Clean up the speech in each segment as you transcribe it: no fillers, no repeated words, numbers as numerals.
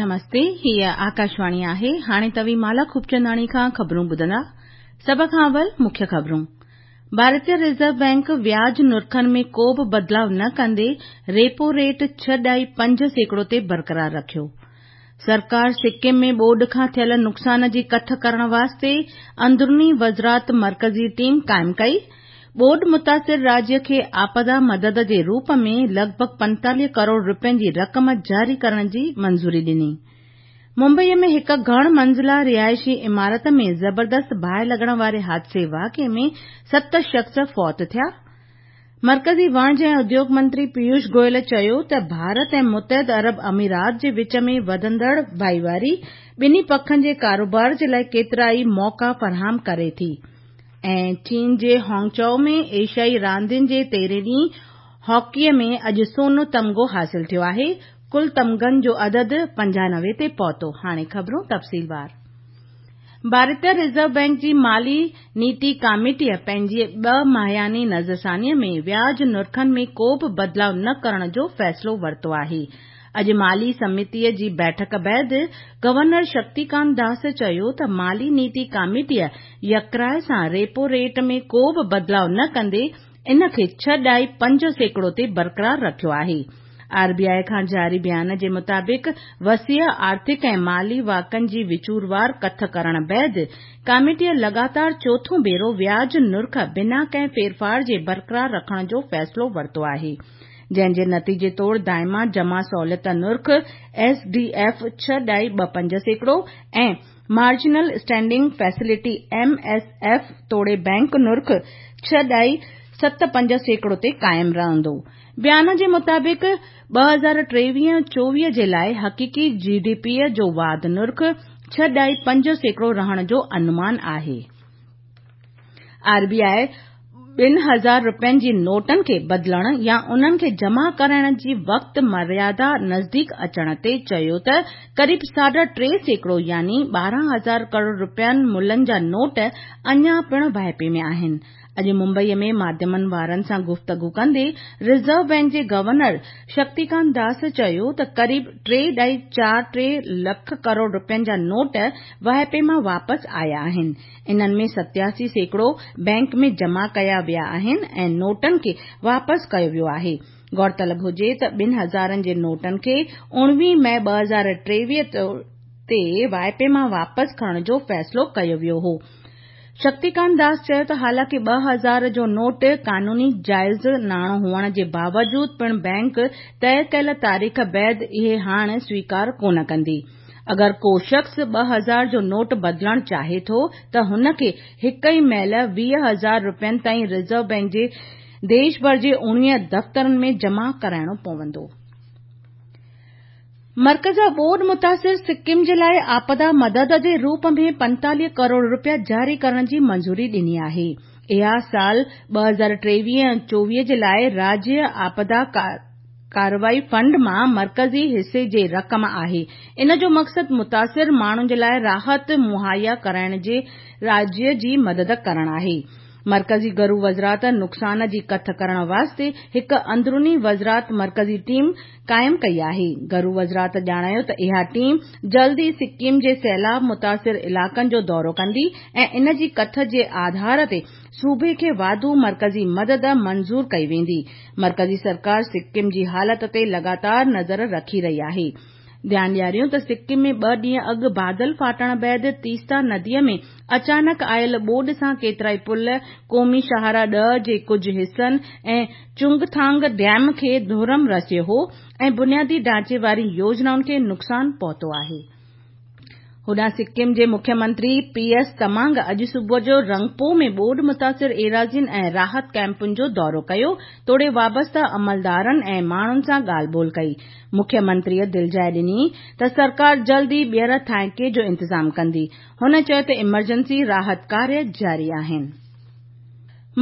نمستي، هيء آڪاشواڻي آهي. هاڻي توهين مالا خوبچنداڻي کان خبرون ٻڌندا. سڀ کان اول مکيه خبرون. ڀارتي رزرو بئنڪ وياج نرخن ۾ ڪو به بدلاء نه ڪندي ريپو ريٽ 6.5% تي برقرار رکيو. سرڪار سڪم ۾ ٻوڏ کان ٿيل نقصان جي ڪٿ ڪرڻ واسطي اندروني وزارت مرڪزي ٽيم قائم ڪئي. ٻوڏ متاثر راجيه کي آپدا مدد جي روپ ۾ لڳ ڀڳ 45 ڪروڙ رپين جي رقم جاري ڪرڻ جي منظوري ڏني. ممبئي ۾ هڪ گهڻ منزله رهائشي عمارت ۾ زبردست باهه لڳڻ واري حادثي واقعي ۾ ست شخص فوت ٿيا. مرڪزي وڻج ۽ اديوگ منتري پيوش گويل چيو ته ڀارت ۽ متحده عرب امارات جي وچ ۾ وڌندڙ ڀائيواري ٻنهي پکن جي ڪاروبار جي لاء ڪيترائي موقعا فراهم ڪري ٿي ۽ چين جي هانگچائو ۾ ايشيائي راندين جي تيرهين ڏينهن هاڪيء ۾ اڄ سون تمغو حاصل ٿيو آهي، ڪل تمغن جو عدد 95 تي پهتو. هاڻي خبرون تفصيلوار. ڀارتي رزرو بئنڪ جي مالي نيتي ڪاميٽيء پنهنجي ٻه ماهياني نظرثانيء ۾ وياج نرخن ۾ ڪو به بدلاء نه ڪرڻ جو فيصلو ورتو آهي. اڄ مالي سمتيء جي بيٺڪ بعد گورنر شڪتيڪانت داس چيو ته مالي نيتي ڪاميٽيء يڪراء سان ريپو ريٽ ۾ ڪو به بدلاء نه ڪندي ان کي 6.5% تي برقرار رکيو آهي. آر بي آء کان جاري بيان جي مطابق وسيع آرٿڪ ۽ مالي واقعن جي وچوروار ڪٿ ڪرڻ بعد ڪاميٽيء لڳاتار چوٿون ڀيرو وياج نرخ بنا ڪنهن ڦيرڦار جي برقرار رکڻ جو فيصلو ورتو آهي. جنهن جي نتيجي طور دائمه جمع سهولت نرخ، S D F, 6.25% ۽ marginal standing facility, M S F, توڙي بئنڪ نرخ 6.75% تي قائم رهندو. بيان جي مطابق 2023-24 جي لاء حقيقي جي ڊي پي جو واڌ نرخ 6.5% رهڻ جو انومان آهي. آر بي آء 2000 رپين جي نوٽن کي بدلڻ يا انهن کي جمع ڪرائڻ جي وقت مريادا نزديڪ اچڻ تي چيو ته قريب ساڍا ٽي سيڪڙو يعني 12 هزار ڪروڙ رپين ملن جا نوٽ اڃا پڻ واهپي ۾ آهن. اڄ ممبئي ۾ ماڌيمن وارن سان گفتگو ڪندي رزرو بئنڪ جي گورنر شڪتيڪانت داس چيو ته قريب 3.43 لک ڪروڙ رپين جا نوٽ واهپي مان واپس آيا آهن. انهن ۾ 87% بئنڪ ۾ جمع ڪيا ويا آهن ۽ نوٽن کي واپس ڪيو ويو آهي. غور طلب هجي ته ٻن هزارن جي نوٽن کي 19 مئي 2023 تي واهپي مان واپس کڻڻ جو فيصلو ڪيو ويو هو. شڪتيڪانت داس چيو ته حالانڪه 2000 جو نوٽ قانوني جائز ناڻو هئڻ جي باوجود پڻ بئنڪ طئي ڪيل تاريخ بعد اهي هاڻ سويڪار ڪونه ڪندي. اگر ڪو شخص 2000 جو نوٽ بدلڻ چاهي ٿو ته هن کي هڪ ئي مهل 20,000 رپين تائين رزرو بئنڪ جي ديش ڀر جي 19 دفترن ۾ جمع ڪرائڻو پوندو. مرڪز ٻوڏ متاثر سڪم جي لاء آپدا مدد جي روپ ۾ 45 ڪروڙ رپيا جاري ڪرڻ جي منظوري ڏني آهي. اها سال 2023-24 جي لاء راجيه آپدا ڪارروائي فنڊ مان مرڪزي حصي جي رقم آهي. ان جو مقصد متاثر ماڻهن جي لاء راحت مهيا ڪرائڻ جي راجيه جي مدد ڪرڻ آهي. مرڪزي گهرو وزارت نقصان جي ڪٿ ڪرڻ واسطي هڪ اندروني وزارت مرڪزي ٽيم قائم ڪئي آهي. گهرو وزارت ڄاڻايو ته اها ٽيم جلد ئي سڪم جي سيلاب متاثر علائقن جو دورو ڪندي ۽ ان جي ڪٿ جي آڌار تي صوبي کي واڌو مرڪزي مدد منظور ڪئي ويندي. مرڪزي سرڪار سڪم جي حالت تي لڳاتار نظر رکي رهي آهي. ڌيان ڏياريون ته سڪم ۾ ٻه ڏينهن اڳ بادل ڦاٽڻ بعد تيستا نديء ۾ اچانڪ آيل ٻوڏ سان ڪيترائي پل، قومي شاهراهه 10 جي ڪجهه حصن ۽ چونگٿانگ ڊيم کي ڌرم رسيو هو ۽ بنيادي ڍانچي وارين يوجنائن کي نقصان پهتو آهي. هوڏانهن سڪم جي مکيه منتري پي ايس تمانگ اڄ صبح جو رنگپو ۾ ٻوڏ متاثر ايراضين ۽ راحت ڪئمپن جو دورو ڪيو توڙي وابسته عملدارن ۽ ماڻهن سان ڳالهه ٻولهه ڪئي. مکيه منتريء دلجاء ڏني ته سرڪار جلد ئي ٻيهر ٿانئيڪي جو انتظام ڪندي. هن چيو ته ايمرجنسي راحت ڪاريه جاري آهن.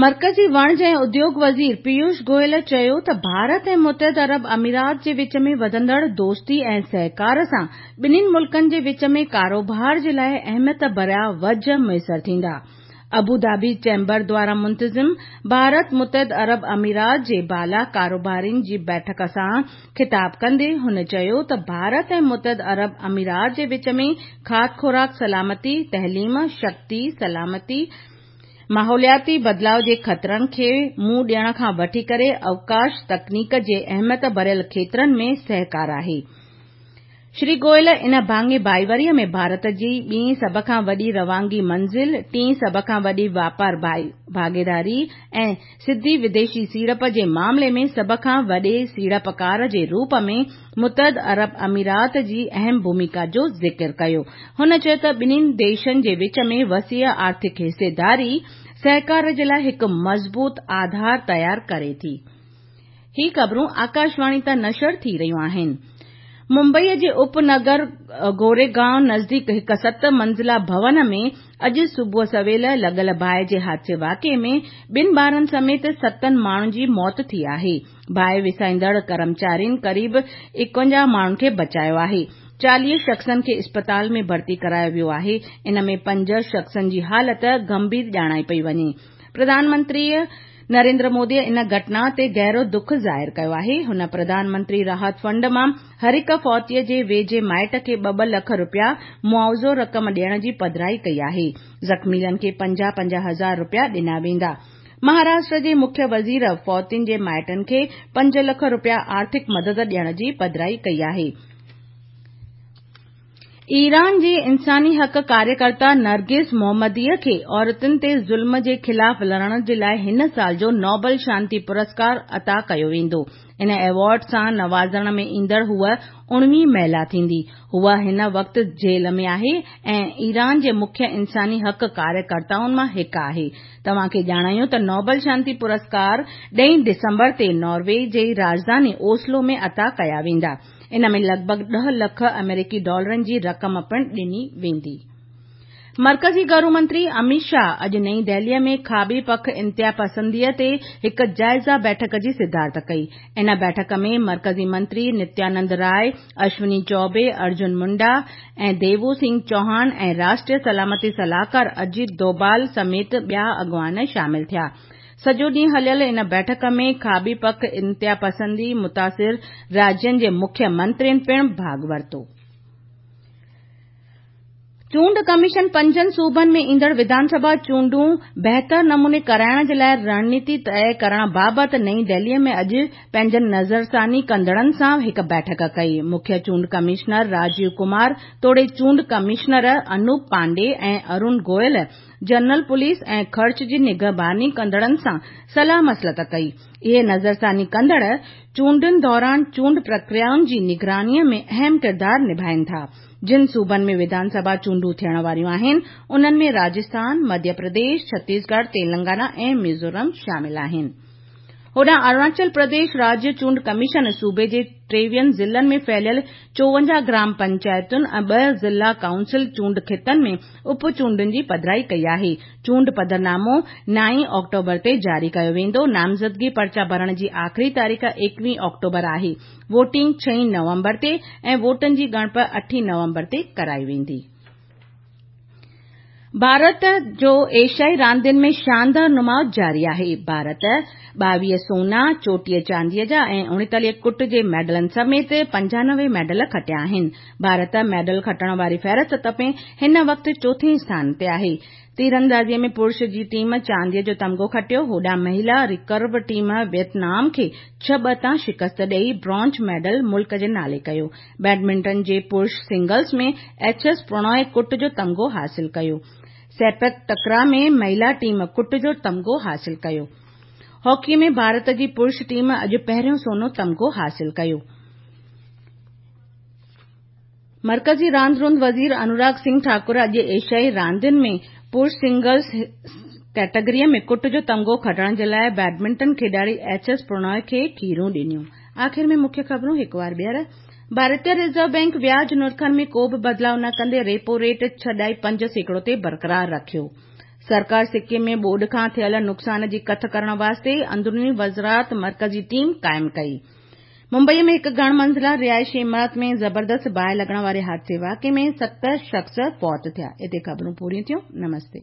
مرڪزي وڻج ۽ اديوگ وزير پيوش گويل چيو ته ڀارت ۽ متحده عرب امارات جي وچ ۾ وڌندڙ دوستي ۽ سهڪار سان ٻنهين ملڪن جي وچ ۾ ڪاروبار جي لاء اهميت ڀريا وجهه ميسر ٿيندا. ابوڌابي چيمبر دواران منتظم ڀارت متحده عرب امارات جي بالا ڪاروبارين جي بيٺڪ سان خطاب ڪندي هن چيو ته ڀارت ۽ متحده عرب امارات جي وچ ۾ کاڌ خوراڪ سلامتي، تعليم، شڪتي، سلامتي، ماحولياتي بدلاء جي خطرن کي منهن ڏيڻ کان وٺي ڪري اوڪاش تڪنيڪ جي اهميت ڀريل کيترن ۾ سهڪار آهي. شري گويل ان ڀاڱي ڀائيواري ۾ ڀارت جي ٻي سڀ کان وڏي روانگي منزل، ٽين سڀ کان وڏي واپار ڀاڳيداري ۽ سڌي وديشي سيڙپ جي معاملي ۾ سڀ کان وڏي سيڙپڪار جي روپ ۾ متحده عرب امارات جي اهم ڀوميڪا جو ذڪر ڪيو. هن چيو ته ٻنهي ديشن جي وچ ۾ وسيع آرٿڪ حصيداري سهڪار جي لاء هڪ مضبوط آڌار تيار ڪري ٿي. هي خبرون آڪاشواڻي تان نشر ٿي رهيون آهن. ممبئي جي اپنگر گوريگائون نزديڪ هڪ ست منزله ڀون ۾ اڄ صبح سويل لڳل باهه جي حادثي واقعي ۾ ٻن ٻارن سميت ستن ماڻهن جي موت ٿي آهي. باهه وسائيندڙ ڪرمچارين قريب 51 ماڻهن کي بچايو آهي. 40 شخصن کي اسپتال ۾ ڀرتي ڪرايو ويو آهي. ان ۾ پنج شخصن جي حالت گنڀير ڄاڻائي پئي وڃي. پرڌان منتري نريندر مودي ان گهٽنا تي گهرو دک ظاهر ڪيو آهي. هن پرڌان منتري راحت فنڊ مان هر هڪ فوتي جي ويجهي مائٽ کي ٻه ٻه لک رپيا معاوضو رقم ڏيڻ جي پڌرائي ڪئي آهي. زخمين کي 50 50 هزار رپيا ڏنا ويندا. مهاراشٽر جي مکيه وزير فوتين جي مائٽن کي 5 لک رپيا آرٿڪ مدد ڏيڻ جي پڌرائي ڪئي آهي. ايران جي انساني حق ڪاريڪرتا نرگس محمدي کي عورتن تي ظلم جي خلاف لڙڻ جي لاء هن سال جو نوبل شانتي پرسڪار عطا ڪيو ويندو. ان ايوارڊ سان نوازڻ ۾ ايندڙ هوء اڻويهين مهلا ٿيندي. هوء هن وقت جيل ۾ آهي ۽ ايران جي مکيه انساني حق ڪاريڪرتائن مان هڪ آهي. توهان کي ڄاڻايون ته نوبل شانتي پرسڪار ڏهين ڊسمبر تي ناروي جي راڄڌاني اوسلو ۾ عطا ڪيا ويندا. ان ۾ لڳ ڀڳ ڏهه لک آمريڪي ڊالرن جي رقم پڻ ڏني ويندي. مرڪزي گهرو منتري اميت شاهه اڄ نئين دهلي ۾ کاٻي پک انتهاپسندي تي هڪ جائزه بيٺڪ جي صدارت ڪئي. ان بيٺڪ ۾ مرڪزي منتري نتيانند راء، اشوني چوبي، ارجن منڊا ۽ ديوو سنگهه چوهان ۽ راشٽريه سلامتي صلاحڪار اجيت دوڀال سميت ٻيا اڳواڻ شامل ٿيا. سڄو ڏينهن هليل ان بيٺڪ ۾ کاٻي پک انتهاپسندي متاثر راجين جي مکيه منترين پڻ ڀاڳ ورتو. چونڊ ڪميشن پنجن صوبن ۾ ايندڙ وڌان سڀا چونڊون بهتر نموني ڪرائڻ جي لاء رڻنيتي طئي ڪرڻ بابت نئين دهلي ۾ اڄ پنهنجن نظرثاني ڪندڙن سان هڪ بيٺڪ ڪئي. مکيه چونڊ ڪمشنر راجيو ڪمار توڙي چونڊ commissioner Anup Pandey ۽ Arun Goyal general police ۽ خرچ جي نگهباني ڪندڙن سان صلاح مصلحت ڪئي. اهي نظرثاني ڪندڙ چونڊن دوران چونڊ پرڪريائن جي نگراني ۾ اهم ڪردار نڀائين ٿا. جن صوبن ۾ وڌان سڀا چونڊون ٿيڻ واريون آهن، انهن ۾ راجسٿان، مڌيه پرديش، ڇتيسڳڙهه، تيلنگانا ۽ ميزورم شامل آهن. هوڏانهن اروناچل پرديش راجيه چونڊ ڪميشن صوبي جي ٽيويهن ضلعن ۾ ڦهليل 54 گرام پئنچائتن ۽ ٻه ضلع ڪائونسل چونڊ خطن ۾ اپ چونڊن جي پڌرائي ڪئي آهي. چونڊ پڌرنامو نائين آڪٽوبر تي جاري ڪيو ويندو. نامزدگي پرچا ڀرڻ جي آخري تاريخ ايڪويهين آڪٽوبر آهي. ووٽنگ ڇهين نومبر تي ۽ ووٽن جي ڳڻپ اٺين نومبر تي ڪرائي ويندي. ڀارت جو ايشيائي راندين ۾ شاندار نماء جاري آهي. ڀارت 22 سونا، 34 چانديء جا ۽ 39 ڪٽ جي ميڊلن سميت 95 ميڊل کٽيا آهن. ڀارت ميڊل کٽڻ واري فهرست ۾ هن وقت چوٿين اسٿان تي آهي. تيراندازي ۾ پرش جي ٽيم چانديء جو تمغو کٽيو، هوڏانهن مهيلا ريڪرو ٽيم ويٽنام کي 6-2 تان شڪست ڏئي برانچ ميڊل ملڪ جي نالي ڪيو. بيڊمنٽن جي پرش سنگلز ۾ ايڇ ايس پرڻوء ڪٽ جو تمغو حاصل ڪيو. سيپڪ ٽڪرا ۾ مهيلا ٽيم ڪٽ جو تمغو حاصل ڪيو. هاڪي ۾ ڀارت جي پرش ٽيم اڄ پهريون سونو تمغو حاصل ڪيو. مرڪزي راند روند وزير انوراگ سنگهه ٺاڪر اڄ ايشيائي راندين ۾ پرش سنگلز ڪيٽيگري ۾ ڪٽ جو تمغو کٽڻ جي لاء بيڊمنٽن کيڏاڙي ايڇ ايس پرڻوء کي کيرون ڏنيون. آخر ۾ مکيه خبرون هڪ وار ٻيهر. ڀارتي رزرو بئنڪ وياج نرخن ۾ ڪو به بدلاء نه ڪندي ريپو ريٽ 6.5% تي برقرار رکيو. سرڪار سڪم ۾ ٻوڏ کان ٿيل نقصان جي ڪٿ ڪرڻ واسطي اندروني وزارت مرڪزي ٽيم قائم ڪئي. ممبئي ۾ هڪ گهڻ منزله رهائشي عمارت ۾ زبردست باهه لڳڻ واري حادثي واقعي ۾ ست شخص فوت ٿيا. اتي خبرون پوريون ٿيون. نمستي.